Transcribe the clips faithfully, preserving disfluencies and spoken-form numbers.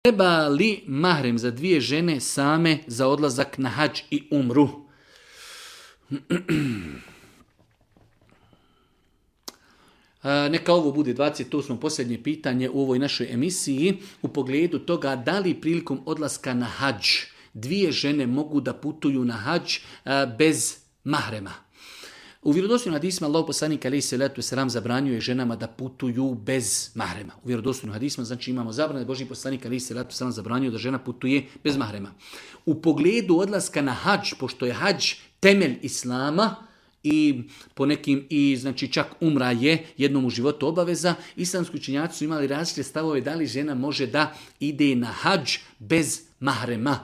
Treba li mahrem za dvije žene same za odlazak na hadž i umru? Neka ovo bude dvadeset osmo posljednje pitanje u ovoj našoj emisiji u pogledu toga da li prilikom odlaska na hadž dvije žene mogu da putuju na hadž bez mahrema. U vjerodostojnim hadisima Allahov poslanik alejhi selatu vesselam zabranjuje ženama da putuju bez mahrema. U vjerodostojnim hadisima znači imamo zabranu, Božji poslanik alejhi selatu vesselam zabranjuje da žena putuje bez mahrema. U pogledu odlaska na hadž, pošto je hadž temelj islama i po nekim i znači čak umra je jednom u životu obaveza, islamski učenjaci su imali različite stavove da li žena može da ide na hadž bez mahrema.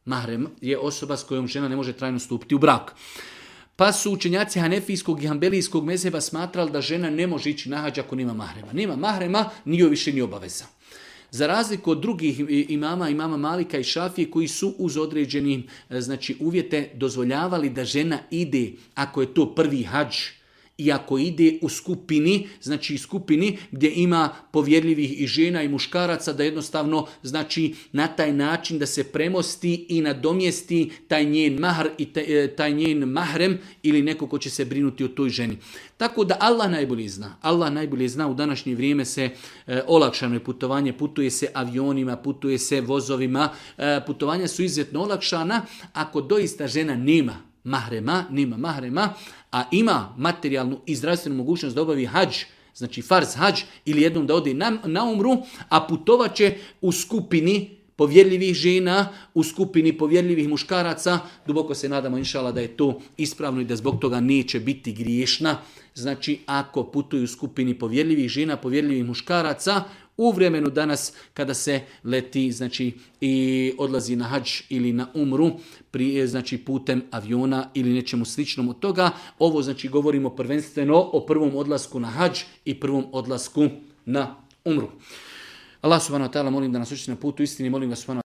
Mahrem je osoba s kojom žena ne može trajno stupiti u brak. Pa su učenjaci hanefijskog i hambelijskog mezheba smatrali da žena ne može ići na hadž ako nema mahrema. Nema mahrema, nije više ni obaveza. Za razliku od drugih imama, imama Malika i Šafije koji su uz određeni znači, uvjete dozvoljavali da žena ide ako je to prvi hadž i ako ide u skupini, znači skupini gdje ima povjerljivih i žena i muškaraca, da jednostavno znači na taj način da se premosti i nadomjesti taj njen mahr i taj, taj njen mahrem ili neko ko će se brinuti o toj ženi. Tako da Allah najbolje zna. Allah najbolje zna, u današnje vrijeme se e, olakšano je putovanje, putuje se avionima, putuje se vozovima, e, putovanja su izuzetno olakšana ako doista žena nema mahrema, nema mahrema, a ima materijalnu i zdravstvenu mogućnost da obavi hadž, znači farz hadž, ili jednom da ode na, na umru, a putovat će u skupini povjerljivih žena, u skupini povjerljivih muškaraca, duboko se nadamo inšala da je to ispravno i da zbog toga neće biti griješna. Znači ako putuju u skupini povjerljivih žena, povjerljivih muškaraca, u vremenu danas kada se leti znači i odlazi na hadž ili na umru pri, znači putem aviona ili nečemu sličnom od toga, ovo znači govorimo prvenstveno o prvom odlasku na hadž i prvom odlasku na umru. Allah subhanahu wa ta'ala molim da nas uči na putu istini, molim vas subhanahu